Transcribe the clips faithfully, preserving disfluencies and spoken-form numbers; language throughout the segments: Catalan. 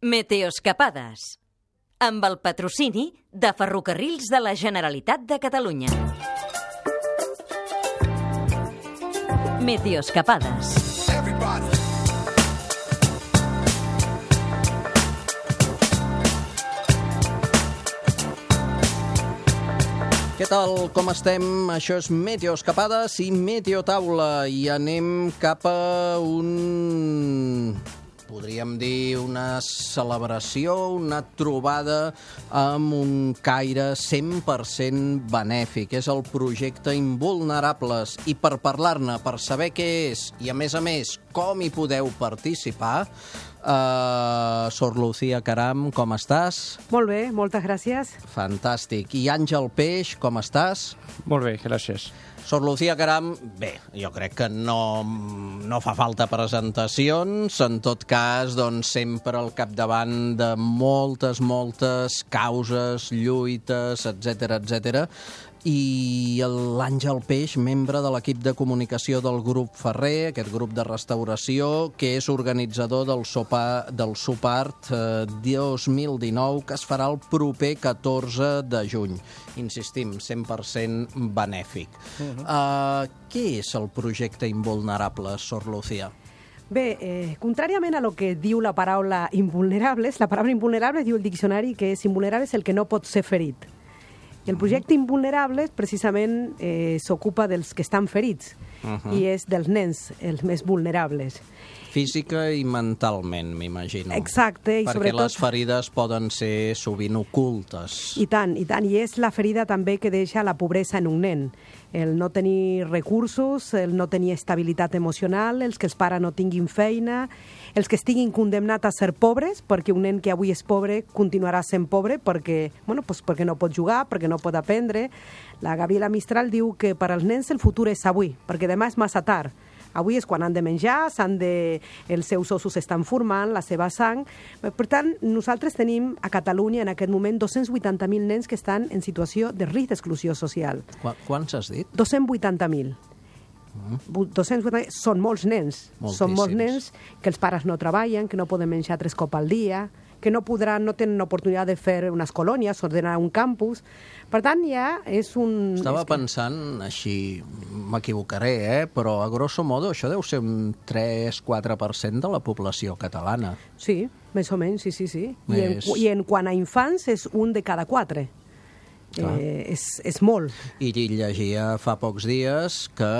Meteoscapades, amb el patrocini de Ferrocarrils de la Generalitat de Catalunya. Meteoscapades. Què tal? Com estem? Això és Meteoscapades i Meteotaula i anem cap a un... podríem dir una celebració, una trobada amb un caire cent per cent benèfic. És el projecte Invulnerables. I per parlar-ne, per saber què és i, a més a més, com hi podeu participar, Uh, Sor Lucía Caram, com estàs? Molt bé, moltes gràcies. Fantàstic. I Àngel Peix, com estàs? Molt bé, gràcies. Sor Lucía Caram, bé, jo crec que no, no fa falta presentacions, en tot cas, doncs, sempre al capdavant de moltes, moltes causes, lluites, etcètera, etcètera. I l'Àngel Peix, membre de l'equip de comunicació del grup Ferrer, aquest grup de restauració, que és organitzador del sopar del Sopart eh, dos mil dinou, que es farà el proper catorze de juny. Insistim, cent per cent benèfic. Uh-huh. uh, què és el projecte Invulnerables, Sor Lucía? Bé, eh, contràriament a lo que diu la paraula invulnerables, la paraula invulnerables diu el diccionari que és invulnerable és el que no pot ser ferit. I el projecte Invulnerables precisament eh, s'ocupa dels que estan ferits uh-huh. i és dels nens els més vulnerables. Física i mentalment, m'imagino. Exacte. I perquè sobretot... les ferides poden ser sovint ocultes. I tant, i tant. I és la ferida també que deixa la pobresa en un nen. El no tenir recursos, el no tenir estabilitat emocional, els que els pares no tinguin feina, els que estiguin condemnats a ser pobres, perquè un nen que avui és pobre continuarà sent pobre perquè, bueno, pues perquè no pot jugar, perquè no pot aprendre. La Gabriela Mistral diu que per als nens el futur és avui, perquè demà és massa tard. Avui és quan han de menjar, s'han de... els seus ossos s'estan formant, la seva sang. Per tant, nosaltres tenim a Catalunya en aquest moment dos-cents vuitanta mil nens que estan en situació de risc d'exclusió social. Qu Quants has dit? dos-cents vuitanta mil. Mm. dos-cents vuitanta són molts nens. Moltíssims. Són molts nens que els pares no treballen, que no poden menjar tres cops al dia, que no podran, no tenen oportunitat de fer unes colònies, ordenar un campus. Per tant, ja és un... Estava és que... pensant, així m'equivocaré, eh? però a grosso modo això deu ser un tres quatre per cent de la població catalana. Sí, més o menys, sí, sí, sí. Més... I, en, I en quant a infants és un de cada quatre. Eh, és, és molt. I llegia fa pocs dies que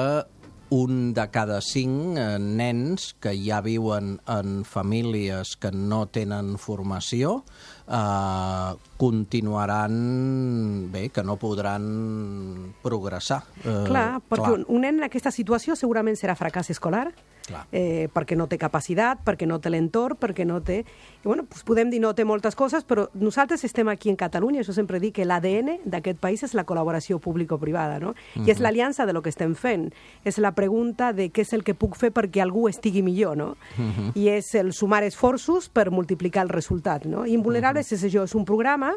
un de cada cinc eh, nens que ja viuen en famílies que no tenen formació eh, continuaran, bé, que no podran progressar. Eh, clar, perquè clar. Un, un nen en aquesta situació segurament serà fracàs escolar, eh, perquè no té capacitat, perquè no té l'entorn, perquè no té... I, bueno, pues podem dir no té moltes coses, però nosaltres estem aquí en Catalunya, això sempre dic que l'A D N d'aquest país és la col·laboració público-privada, no? Uh-huh. I és l'aliança de lo que estem fent. És la pregunta de què és el que puc fer perquè algú estigui millor, no? Uh-huh. I és el sumar esforços per multiplicar el resultat, no? Invulnerables uh-huh. és això, és un programa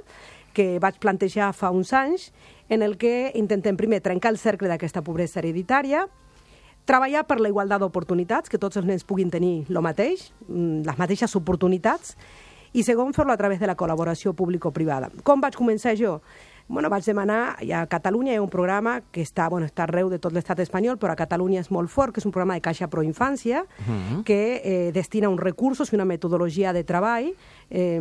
que vaig plantejar fa uns anys en el que intentem primer trencar el cercle d'aquesta pobresa hereditària, treballar per la igualtat d'oportunitats, que tots els nens puguin tenir el mateix, les mateixes oportunitats, i segon, fer-lo a través de la col·laboració público-privada. Com vaig començar jo? Bueno, vaig demanar, a Catalunya hi ha un programa que està, bueno, està arreu de tot l'estat espanyol, però a Catalunya és molt fort, que és un programa de Caixa Proinfància, uh-huh. que eh, destina uns recursos i una metodologia de treball, eh,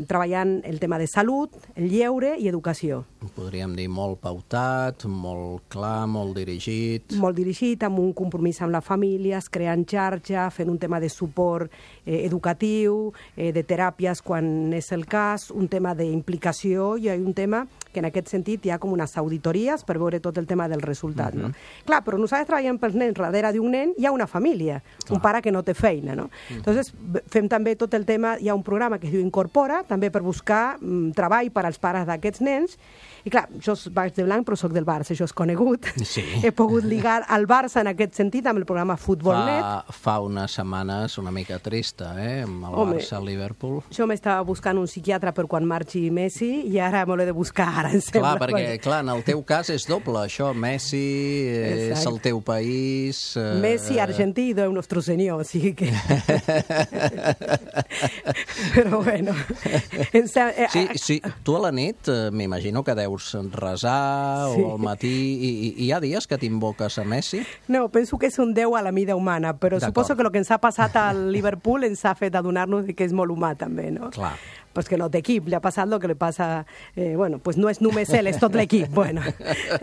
treballant el tema de salut, el lleure i educació. Podríem dir molt pautat, molt clar, molt dirigit. Molt dirigit, amb un compromís amb les famílies, creant xarxa, fent un tema de suport eh, educatiu, eh, de teràpies quan és el cas, un tema d'implicació i un tema que en aquest sentit hi ha com unes auditories per veure tot el tema del resultat. Uh-huh. No? Clar, però nosaltres treballem pels nens, darrere d'un nen hi ha una família, clar. Un pare que no té feina. No? Uh-huh. Entonces, fem també tot el tema, hi ha un programa que es diu Incorpora, també per buscar mm, treball per als pares d'aquests nens. I clar, jo vaig de blanc, però soc del Barça, això és conegut. Sí. He pogut ligar al Barça en aquest sentit amb el programa Futbolnet. Fa, fa unes setmanes una mica trista, eh? Amb el Home, Barça-Liverpool. Jo m'estava buscant un psiquiatre per quan marxi Messi i ara me l'he de buscar cara, em sembla. Clar, perquè clar, en el teu cas és doble, això, Messi, és Exacte. el teu país... Eh... Messi, Argentí i Déu nostre senyor, o sigui que... Però bueno... Sí, sí, tu a la nit eh, m'imagino que deus resar sí. o al matí, i, i hi ha dies que t'invoques a Messi? No, penso que és un déu a la mida humana, però suposo que el que ens ha passat al Liverpool ens ha fet adonar-nos que és molt humà també, no? Clar. Pues que no té equip, li ha passat el que li passa... Eh, bueno, pues no és només ell, és tot l'equip. Bueno,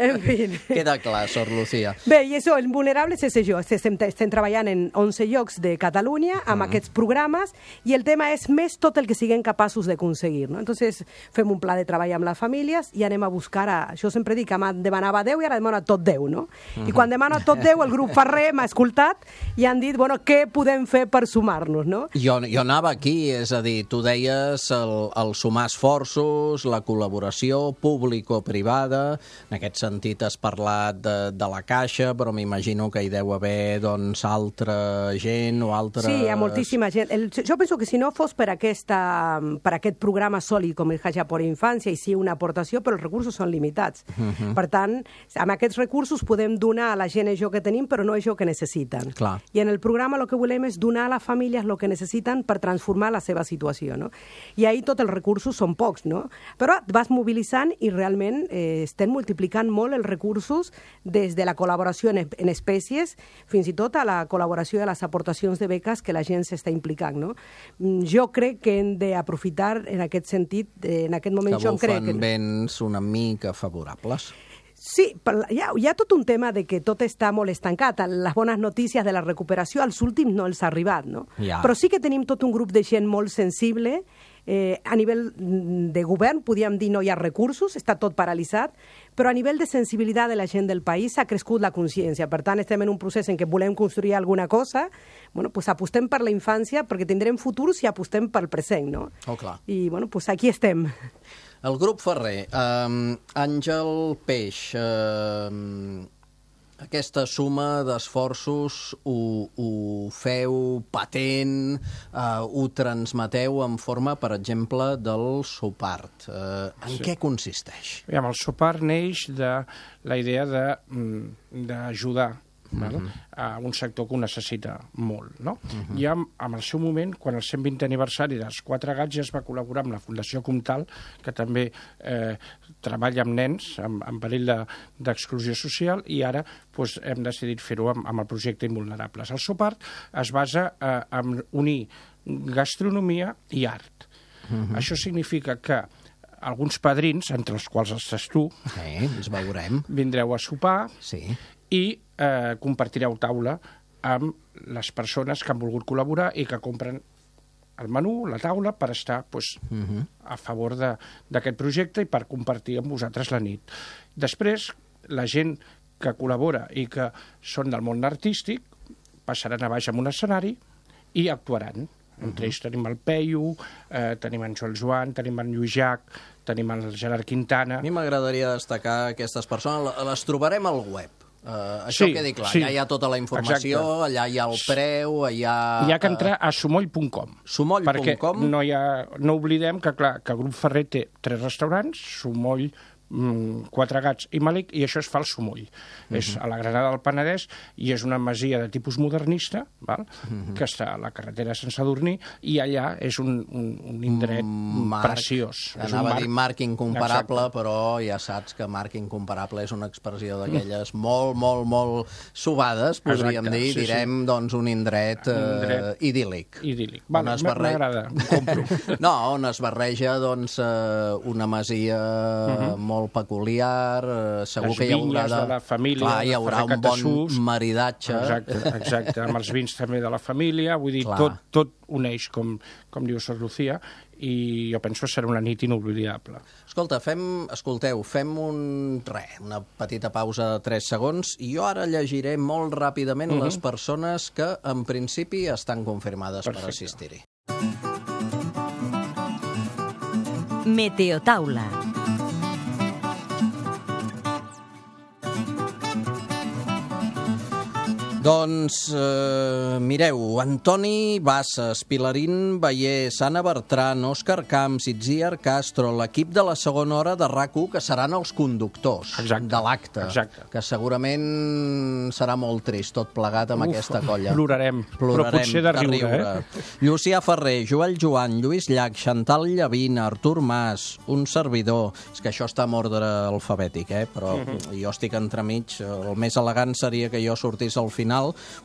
en fi. Queda clar, Sor Lucía. Bé, i això, els vulnerables és això. Estem, estem treballant en onze llocs de Catalunya amb mm. aquests programes i el tema és més tot el que siguem capaços d'aconseguir, no? Entonces, fem un pla de treball amb les famílies i anem a buscar... A, això sempre dic que demanava Déu i ara demana tot Déu, no? Mm-hmm. I quan demana tot Déu, el grup Ferrer m'ha escoltat i han dit, bueno, què podem fer per sumar-nos, no? Jo, jo anava aquí, és a dir, tu deies... El, el sumar esforços, la col·laboració público-privada. En aquest sentit has parlat de, de la Caixa, però m'imagino que hi deu haver doncs, altra gent o altres... Sí, hi ha moltíssima gent. El, jo penso que si no fos per, aquesta, per aquest programa sòlid com el Caixa per Infància, i sí una aportació, però els recursos són limitats. Uh-huh. Per tant, amb aquests recursos podem donar a la gent això que tenim, però no això que necessiten. Clar. I en el programa el que volem és donar a les famílies el que necessiten per transformar la seva situació, no? I ahir tot el recursos són pocs, no? Però vas mobilitzant i realment eh, estem multiplicant molt els recursos des de la col·laboració en, en espècies fins i tot a la col·laboració de les aportacions de beques que la gent s'està implicant, no? Jo crec que hem d'aprofitar en aquest sentit, eh, en aquest moment que jo crec... Que bufen vents una mica favorables. Sí, hi ha, hi ha tot un tema de que tot està molt estancat. Les bones notícies de la recuperació als últims no els ha arribat, no? Ja. Però sí que tenim tot un grup de gent molt sensible. Eh, a nivell de govern, podríem dir, no hi ha recursos, està tot paralitzat, però a nivell de sensibilitat de la gent del país ha crescut la consciència. Per tant, estem en un procés en què volem construir alguna cosa, bueno, pues apostem per la infància perquè tindrem futur si apostem pel present, no? Oh, clar. I, bueno, pues aquí estem. El grup Ferrer, eh, Àngel Peix, eh, aquesta suma d'esforços ho, ho feu patent, eh, ho transmeteu en forma, per exemple, del Sopart. Eh, en sí. què consisteix? El Sopart neix de la idea d'ajudar Uh-huh. a un sector que ho necessita molt, no? Uh-huh. I en, en el seu moment, quan el cent vintè aniversari dels Quatre Gats, ja es va col·laborar amb la Fundació Comtal, que també eh, treballa amb nens en, en perill d'exclusió de, social, i ara pues, hem decidit fer-ho amb, amb el projecte Invulnerables. El Sopart es basa eh, en unir gastronomia i art. Uh-huh. Això significa que alguns padrins, entre els quals estàs tu, sí, ens veurem, vindreu a sopar, sí, i eh, compartireu taula amb les persones que han volgut col·laborar i que compren el menú, la taula, per estar pues, uh-huh. a favor d'aquest projecte i per compartir amb vosaltres la nit. Després, la gent que col·labora i que són del món artístic passaran a baix en un escenari i actuaran. Entre ells tenim el Peyu, eh, tenim en Joel Joan, tenim en Lluís Llach, tenim el Gerard Quintana... A mi m'agradaria destacar aquestes persones, les trobarem al web. Uh, això sí, quedi clar, sí. allà hi ha tota la informació, exacte. Allà hi ha el preu, allà... Hi ha que entrar a sumoll punt com. Sumoll punt com? Perquè no, hi ha, no oblidem que, clar, que el grup Ferrer té tres restaurants, Sumoll, Quatre Gats i Malic, i això es fa al Sumoll. Uh-huh. És a la Granada del Penedès i és una masia de tipus modernista, val? Uh-huh. que està a la carretera de Sant Sadurní, i allà és un, un, un indret marc, preciós. Anava a dir marc incomparable, exacte. Però ja saps que marc incomparable és una expressió d'aquelles molt, molt, molt subades, podríem exacte, dir, sí, direm, sí. doncs, un indret, un indret uh, idíl·lic. Idíl·lic. Vale, m'agrada, ho compro. No, on es barreja, doncs, uh, una masia uh-huh. molt molt peculiar, eh, segur les que hi haurà de... de la família, clar, hi haurà un bon maridatge. Exacte, exacte, amb els vins també de la família, vull dir, tot, tot uneix, com, com diu Sor Lucía, i jo penso que serà una nit inoblidable. Escolta, fem, escolteu, fem un, re, una petita pausa de tres segons, i jo ara llegiré molt ràpidament uh-huh. les persones que, en principi, estan confirmades Perfecte. Per assistir-hi. Meteotaula. Doncs, eh, mireu, Antoni Bassas, Pilarín Bayer, Sana Bertran, Òscar Camps, Itziar Castro, l'equip de la segona hora de RAC u, que seran els conductors Exacte. de l'acte, que segurament serà molt trist tot plegat amb Uf, aquesta colla. Plorarem, Plorarem però potser de riure. Eh? Llucià Ferrer, Joel Joan, Lluís Llach, Chantal Llavina, Artur Mas, un servidor. És que això està en ordre alfabètic, eh? Però uh -huh. jo estic entremig. El més elegant seria que jo sortís al final,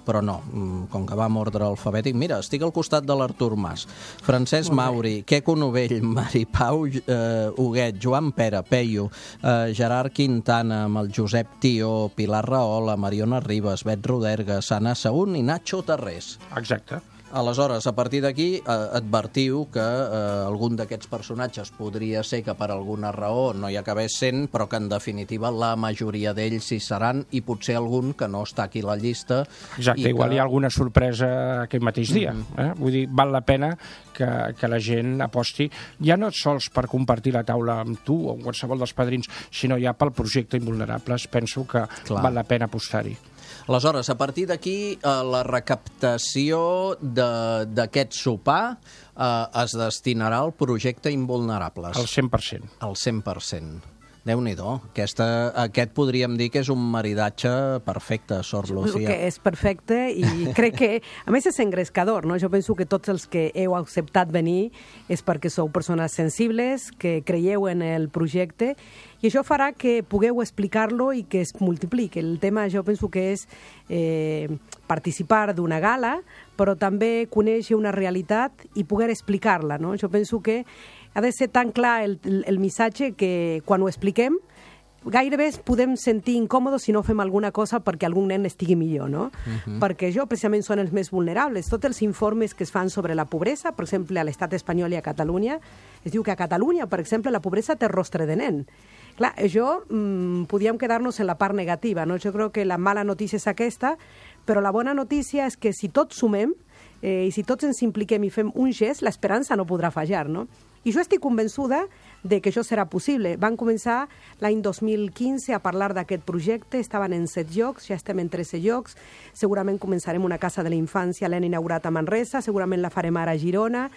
però no, com que va en ordre alfabètic. Mira, estic al costat de l'Artur Mas. Francesc Mauri, Queco Novell, Mari Pau eh, Huguet, Joan Pere, Peyu, eh, Gerard Quintana, amb el Josep Tió, Pilar Rahola, Mariona Ribas, Bet Roderga, Sana Saún i Nacho Tarrés. Exacte. Aleshores, a partir d'aquí, eh, advertiu que eh, algun d'aquests personatges podria ser que per alguna raó no hi acabés sent, però que en definitiva la majoria d'ells hi seran, i potser algun que no està aquí a la llista. Exacte, igual que... hi ha alguna sorpresa aquell mateix dia. Mm-hmm. eh? Vull dir, val la pena que, que la gent aposti, ja no sols per compartir la taula amb tu o amb qualsevol dels padrins, sinó ja pel projecte Invulnerables. Penso que Clar. val la pena apostar-hi. Aleshores, a partir d'aquí, eh, la recaptació d'aquest sopar eh, es destinarà al projecte Invulnerables. Al cent per cent. Al cent per cent. Déu-n'hi-do. Aquesta, aquest podríem dir que és un maridatge perfecte, Sor Lucía. Que és perfecte i crec que, a més, és engrescador, no? Jo penso que tots els que heu acceptat venir és perquè sou persones sensibles, que creieu en el projecte, i això farà que pugueu explicar-lo i que es multipliqui. El tema, jo penso que és eh, participar d'una gala, però també conèixer una realitat i poder explicar-la, no? Jo penso que ha de ser tan clar el, el, el missatge que quan ho expliquem gairebé podem sentir incòmodes si no fem alguna cosa perquè algun nen estigui millor, no? Uh-huh. Perquè jo, precisament, són els més vulnerables. Tots els informes que es fan sobre la pobresa, per exemple, a l'estat espanyol i a Catalunya, es diu que a Catalunya, per exemple, la pobresa té rostre de nen. Clar, jo, mmm, podíem quedar-nos en la part negativa, no? Jo crec que la mala notícia és aquesta, però la bona notícia és que si tots sumem eh, i si tots ens impliquem i fem un gest, l'esperança no podrà fallar, no? I jo estic convençuda de que això serà possible. Van començar l'any dos mil quinze a parlar d'aquest projecte, estaven en set llocs, ja estem en tretze llocs, segurament començarem una casa de la infància, l'hem inaugurat a Manresa, segurament la farem ara a Girona.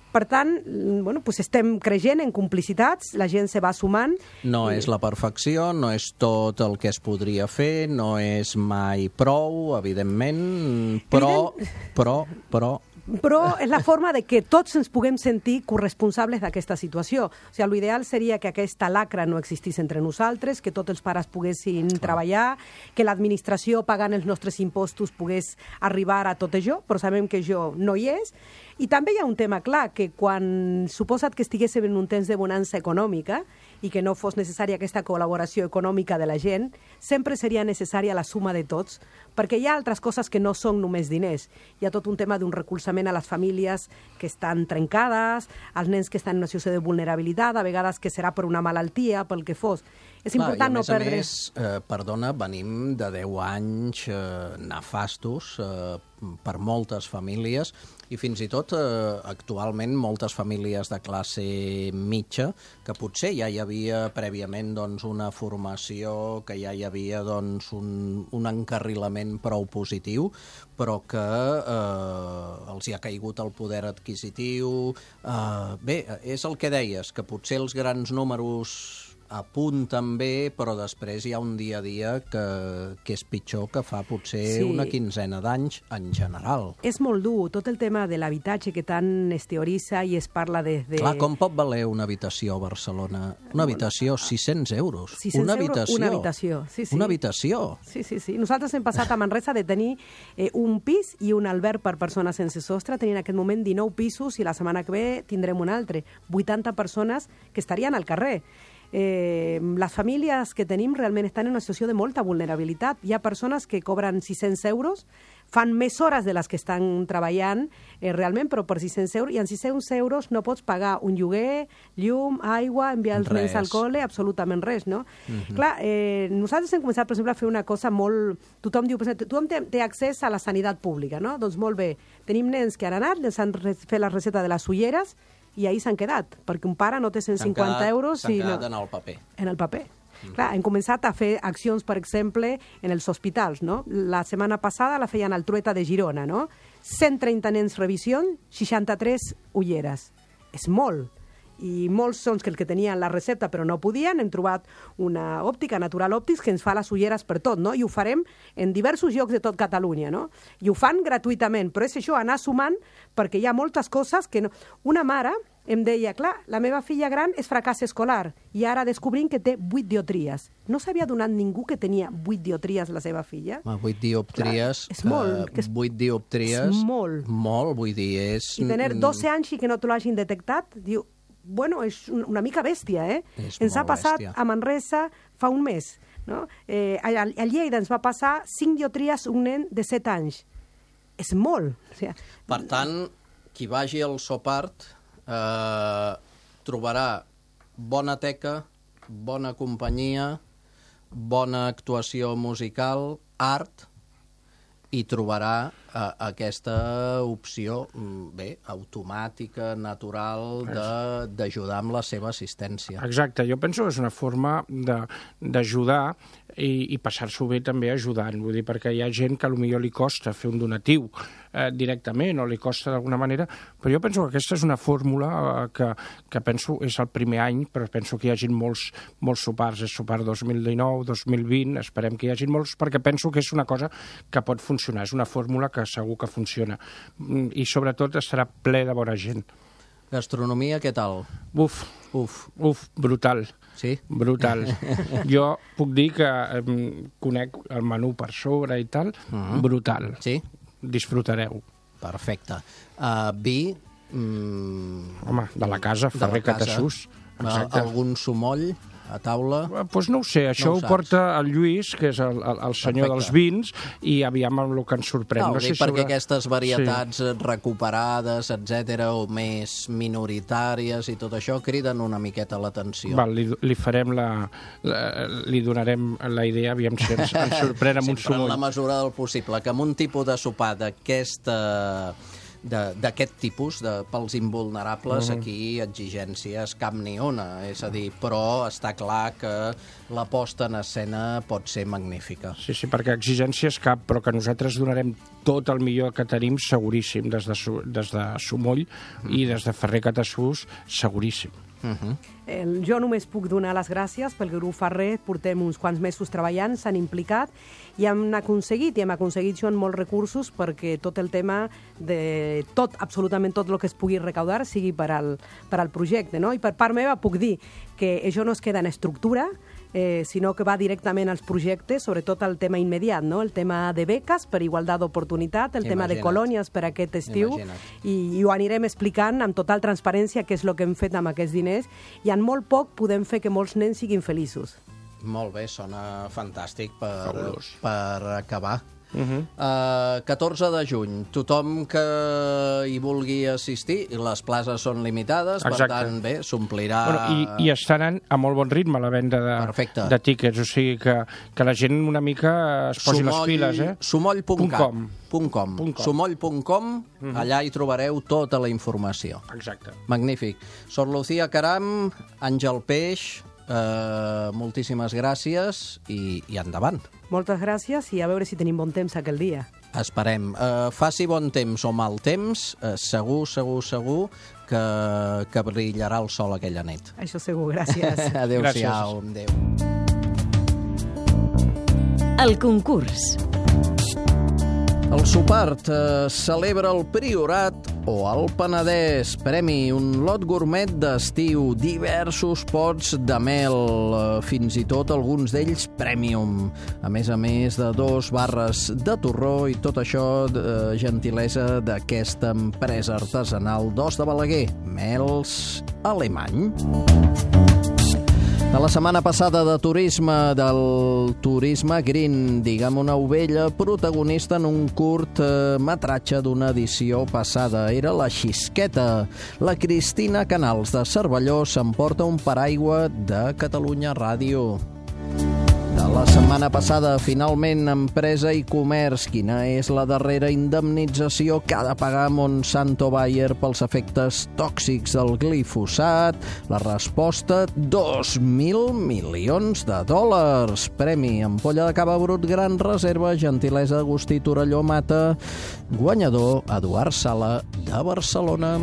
Per tant, bueno, pues estem creixent en complicitats, la gent se va sumant. No és la perfecció, no és tot el que es podria fer, no és mai prou, evidentment, però, Evident... però, però... Però és la forma de que tots ens puguem sentir corresponsables d'aquesta situació. O sigui, l'ideal seria que aquesta lacra no existís entre nosaltres, que tots els pares poguessin Clar. treballar, que l'administració pagant els nostres impostos pogués arribar a tot això, però sabem que això no hi és. I també hi ha un tema clar, que quan suposa't que estiguéssim en un temps de bonança econòmica i que no fos necessària aquesta col·laboració econòmica de la gent, sempre seria necessària la suma de tots, perquè hi ha altres coses que no són només diners. Hi ha tot un tema d'un recolzament a les famílies que estan trencades, als nens que estan en una situació de vulnerabilitat, a vegades que serà per una malaltia, pel que fos. És Clar, important no perdre... I a més a més, eh, perdona, venim de deu anys eh, nefastos eh, per moltes famílies i fins i tot eh, actualment moltes famílies de classe mitja que potser ja hi havia prèviament doncs, una formació, que ja hi havia doncs, un, un encarrilament prou positiu, però que eh, els hi ha caigut el poder adquisitiu. Eh, bé, és el que deies, que potser els grans números apunten bé, però després hi ha un dia a dia que, que és pitjor que fa potser sí. una quinzena d'anys en general. És molt dur, tot el tema de l'habitatge que tant es teoritza i es parla des de... Clar, com pot valer una habitació a Barcelona? Una habitació, sis-cents euros. sis-cents una euros, habitació. una habitació. Sí, sí. Una habitació. Sí, sí, sí. Nosaltres hem passat a Manresa de tenir eh, un pis i un alberg per persones sense sostre. Tenim en aquest moment dinou pisos i la setmana que ve tindrem un altre. vuitanta persones que estarien al carrer. Eh, les famílies que tenim realment estan en una situació de molta vulnerabilitat. Hi ha persones que cobren sis-cents euros, fan més hores de les que estan treballant eh, realment, però per sis-cents euros, i en sis-cents euros no pots pagar un lloguer, llum, aigua, enviar els nens al col·le, absolutament res, no? Uh-huh. Clar, eh, nosaltres hem començat, per exemple, a fer una cosa molt... Tothom diu, tothom té, té accés a la sanitat pública, no? Doncs molt bé, tenim nens que han anat, els han fet la recepta de les ulleres, i ahir s'han quedat, perquè un pare no té cent cinquanta euros... S'han i quedat no, en el paper. En el paper. Clar, hem començat a fer accions, per exemple, en els hospitals, no? La setmana passada la feien al Trueta de Girona, no? cent trenta nens revisió, seixanta-tres ulleres. És molt. I molts són els que tenien la recepta però no podien. Hem trobat una òptica, Natural Òptics, que ens fa les ulleres per tot, no? I ho farem en diversos llocs de tot Catalunya, no? I ho fan gratuïtament, però és això, anar sumant, perquè hi ha moltes coses que no... Una mare em deia, clar, la meva filla gran és fracàs escolar i ara descobrim que té vuit dioptries. No s'havia donat ningú que tenia vuit dioptries la seva filla? Ah, vuit dioptries... Clar, és molt. Que és, vuit dioptries... És molt. Molt, vull dir, és... I tenir dotze anys i que no te l'hagin detectat, diu... Bueno, és una mica bèstia, eh? És ens ha passat bèstia. A Manresa fa un mes, no? Eh, a, a Lleida ens va passar cinc dioptries un nen de set anys. És molt. O sigui, per tant, qui vagi al Sopart eh, trobarà bona teca, bona companyia, bona actuació musical, art, i trobarà eh, aquesta opció, bé, automàtica, natural, d'ajudar amb la seva assistència. Exacte, jo penso que és una forma d'ajudar i, i passar-s'ho bé també ajudant, vull dir, perquè hi ha gent que potser li costa fer un donatiu eh, directament o li costa d'alguna manera, però jo penso que aquesta és una fórmula eh, que, que penso és el primer any, però penso que hi hagi molts, molts sopars, és sopar dos mil dinou, dos mil vint, esperem que hi hagi molts, perquè penso que és una cosa que pot funcionar, és una fórmula que segur que funciona i sobretot estarà ple de bona gent. Gastronomia, què tal? Uf, uf, uf, brutal. Sí? Brutal. Jo puc dir que eh, conec el menú per sobre i tal, uh-huh. Brutal. Sí? Disfrutareu. Perfecte. Uh, vi... Mm, home, de la casa, Ferrer Catassús. Exacte. Algun sumoll a taula? Doncs pues no ho sé, això no ho ho porta el Lluís, que és el, el, el senyor Perfecte. Dels vins, i aviam amb el que ens sorprèn. No, no sé dic perquè sobre... aquestes varietats sí. recuperades, etcètera, o més minoritàries i tot això, criden una miqueta l'atenció. Val, li, li farem la, la... li donarem la idea, aviam si ens, ens sorprèn amb un sumoll. En la mesura del possible, que amb un tipus de sopar d'aquesta... d'aquest tipus, de, pels invulnerables, uh-huh. aquí exigències cap ni una, és a dir, però està clar que la posta en escena pot ser magnífica. Sí, sí, perquè exigències cap, però que nosaltres donarem tot el millor que tenim, seguríssim, des de, des de Sumoll uh-huh. i des de Ferrer Catassús, seguríssim. Uh-huh. El, jo només puc donar les gràcies pel grup Ferrer, portem uns quants mesos treballant, s'han implicat i hem aconseguit, i hem aconseguit jo molts recursos perquè tot el tema de tot, absolutament tot el que es pugui recaudar sigui per al, per al projecte, no? I per part meva puc dir que això no es queda en estructura, eh, sinó que va directament als projectes, sobretot el tema immediat, no? El tema de beques per igualtat d'oportunitat, el Imagina't. tema de colònies per aquest estiu, i, i ho anirem explicant amb total transparència què és el que hem fet amb aquests diners, i en molt poc podem fer que molts nens siguin feliços. Molt bé, sona fantàstic per, Fabulós. per acabar. Uh-huh. Uh, catorze de juny, tothom que hi vulgui assistir, les places són limitades, Exacte. per tant, bé, s'omplirà... Bueno, i, I estaran a molt bon ritme la venda de, de tíquets, o sigui que, que la gent una mica es posi Sumoll, les piles, eh? Sumoll punt com. Punt com. Sumoll punt com, uh-huh. allà hi trobareu tota la informació. Exacte. Magnífic. Sor Lucía Caram, Àngel Peix, Uh, moltíssimes gràcies i, i endavant. Moltes gràcies i a veure si tenim bon temps aquell dia. Esperem. Uh, faci bon temps o mal temps, uh, segur, segur, segur que, que brillarà el sol aquella nit. Això segur, gràcies. Adéu-siau. Adéu. El concurs. El Sopart eh, celebra el Priorat o el Penedès. Premi, un lot gourmet d'estiu, diversos pots de mel, eh, fins i tot alguns d'ells premium. A més a més de dos barres de torró i tot això de gentilesa d'aquesta empresa artesanal d'Os de Balaguer, Mels Alemany. De la setmana passada de turisme, del turisme green, diguem una ovella protagonista en un curt eh, metratge d'una edició passada. Era la Xisqueta. La Cristina Canals de Cervelló s'emporta un paraigua de Catalunya Ràdio. De La setmana passada, finalment, Empresa i Comerç. Quina és la darrera indemnització que ha de pagar Monsanto Bayer pels efectes tòxics del glifosat? La resposta, dos mil milions de dòlars. Premi ampolla de cava brut Gran Reserva, gentilesa Agustí Torelló Mata. Guanyador, Eduard Sala, de Barcelona.